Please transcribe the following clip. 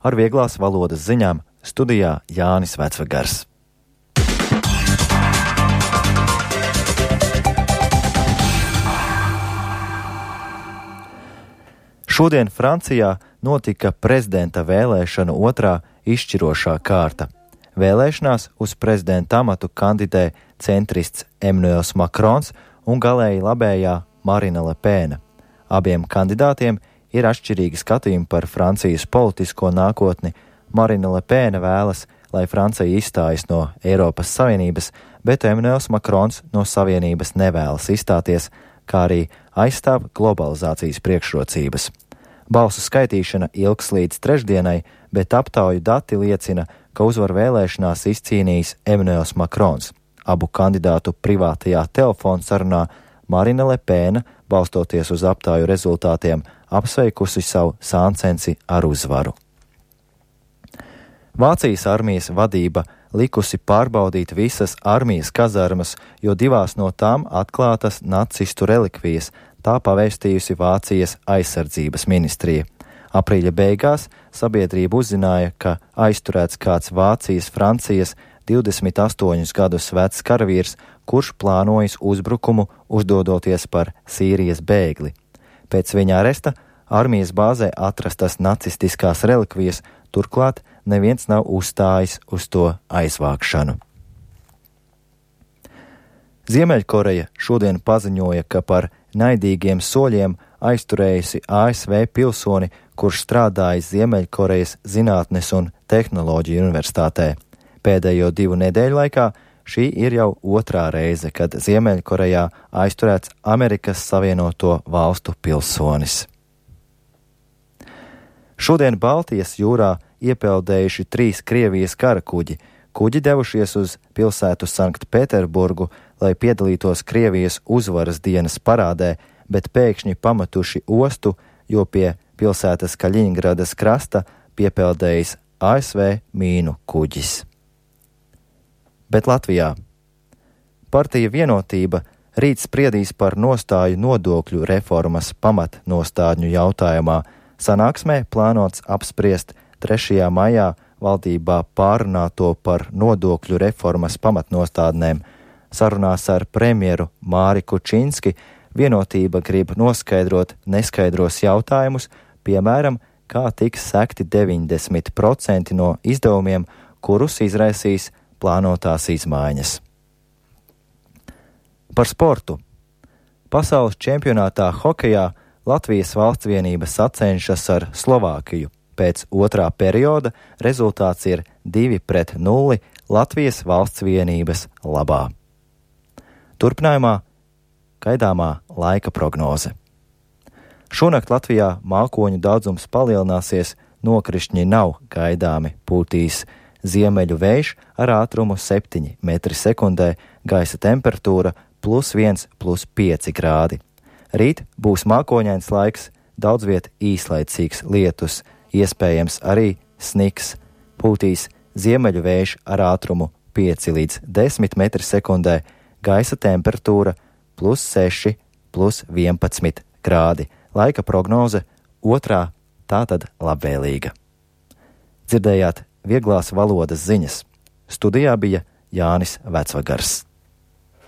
ar vieglās valodas ziņām studijā Jānis Vecvagars. Šodien Francijā notika prezidenta vēlēšanu otrā izšķirošā kārta. Vēlēšanās uz prezidenta amatu kandidē centrists Emmanuels Macrons un galēji labējā Marine Le Pen. Abiem kandidātiem ir atšķirīgi skatījumi par Francijas politisko nākotni. Marine Le Pen vēlas, lai Francija izstājas no Eiropas Savienības, bet Emmanuels Macrons no Savienības nevēlas izstāties, kā arī aizstāv globalizācijas priekšrocības. Balsu skaitīšana ilgs līdz trešdienai, bet aptauju dati liecina, ka uzvaru vēlēšanās izcīnījis Emmanuels Macrons. Abu kandidātu privātajā telefona sarunā Marine Le Pen, balstoties uz aptauju rezultātiem, apsveikusi savu sāncensi ar uzvaru. Vācijas armijas vadība likusi pārbaudīt visas armijas kazarmas, jo 2 no tām atklātas nacistu relikvijas, tā pavēstījusi Vācijas aizsardzības ministrija. Aprīļa beigās sabiedrība uzzināja, ka aizturēts kāds Vācijas-Francijas 28 gadus vecs karavīrs, kurš plānojis uzbrukumu, uzdodoties par Sīrijas bēgli. Pēc viņa aresta armijas bāzē atrastas nacistiskās relikvijas, turklāt neviens nav uzstājis uz to aizvākšanu. Ziemeļkoreja šodien paziņoja, ka par naidīgiem soļiem aizturējusi ASV pilsoni, kurš strādājis Ziemeļkorejas Zinātnes un tehnoloģiju universitātē. Pēdējo 2 nedēļu laikā šī ir jau otrā reize, kad Ziemeļkorejā aizturēts Amerikas Savienoto Valstu pilsonis. Šodien Baltijas jūrā iepeldējuši 3 Krievijas karakuģi. Kuģi devušies uz pilsētu Sanktpēterburgu, lai piedalītos Krievijas uzvaras dienas parādē, bet pēkšņi pametuši ostu, jo pie pilsētas Kaļiņgradas krasta piepeldējis ASV mīnu kuģis. Bet Latvijā partija Vienotība rīt spriedīs par nostāju nodokļu reformas pamatnostādņu jautājumā. Sanāksmē plānots apspriest 3. maijā valdībā pārunāto par nodokļu reformas pamatnostādnēm. Sarunās ar premjeru Māri Kučinski Vienotība grib noskaidrot neskaidros jautājumus, piemēram, kā tiks sekti 90% no izdevumiem, kurus izraisīs plānotās izmaiņas. Par sportu. Pasaules čempionātā hokejā Latvijas valstsvienība sacenšas ar Slovākiju. Pēc otrā perioda rezultāts ir 2-0 Latvijas valstsvienības labā. Turpinājumā gaidāmā laika prognoze. Šonakt Latvijā mākoņu daudzums palielināsies, nokrišņi nav gaidāmi, pūtīs ziemeļu vējš ar ātrumu 7 m/s, gaisa temperatūra +1, +5 grādi. Rīt būs mākoņains laiks, daudz viet īslaicīgs lietus, iespējams arī sniks, pūtīs ziemeļu vējš ar ātrumu 5 līdz 10 m/s, gaisa temperatūra +6, +11 grādi. Laika prognoze otrā, tātad labvēlīga. Dzirdējāt vieglās valodas ziņas. Studijā bija Jānis Vecvagars.